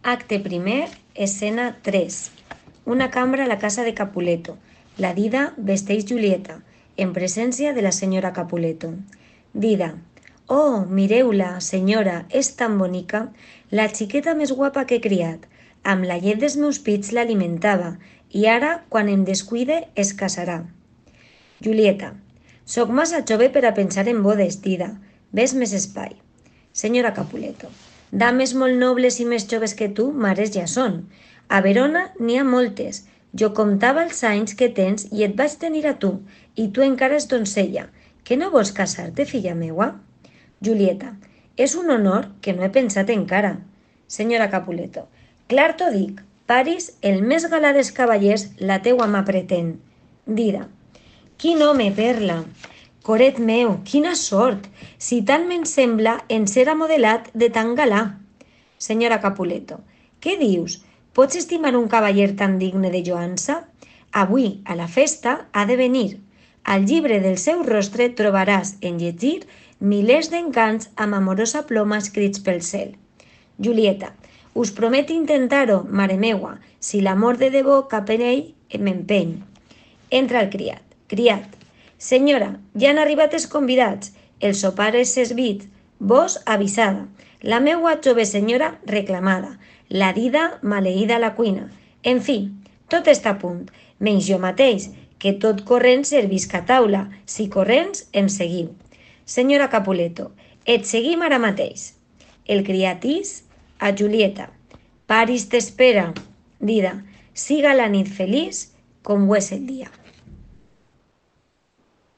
Acte primer, escena 3. Una cambra a la casa de Capuleto. La Dida vesteix Julieta, en presència de la senyora Capuleto. Dida: oh, mireu-la, senyora, és tan bonica, la xiqueta més guapa que he criat. Amb la llet dels meus pits l'alimentava, i ara, quan em descuide, es casarà. Julieta: soc massa jove per a pensar en bodes, Dida. Ves més espai. Senyora Capuleto: dames molt nobles i més joves que tu, mares ja són. A Verona n'hi ha moltes. Jo comptava els anys que tens i et vaig tenir a tu, i tu encara és doncella. Que no vols casar-te, filla meua? Julieta: és un honor que no he pensat encara. Senyora Capuleto: clar t'ho dic, Paris, el més galà dels cavallers, la teua mà pretén. Dida: quin home, Perla! Coret meu, quina sort! Si tant me'n sembla en ser amodelat de tan galà. Senyora Capuleto: què dius? Pots estimar un cavaller tan digne de lloança? Avui, a la festa, ha de venir. Al llibre del seu rostre trobaràs en llegir milers d'encants amb amorosa ploma escrits pel cel. Julieta: us promet intentar-ho, mare meua, si l'amor de debò cap en ell m'empeny. Entra el criat. Criat: senyora, ja han arribat els convidats. El sopar és servit. Vos avisada. La meua jove senyora reclamada. La Dida maleïda a la cuina. En fi, tot està a punt. Menys jo mateix, que tot corrent servisc a taula. Si corrents, em seguiu. Senyora Capuleto: et seguim ara mateix. El criatís a Julieta: Paris t'espera. Dida: siga la nit feliç com ho és el dia.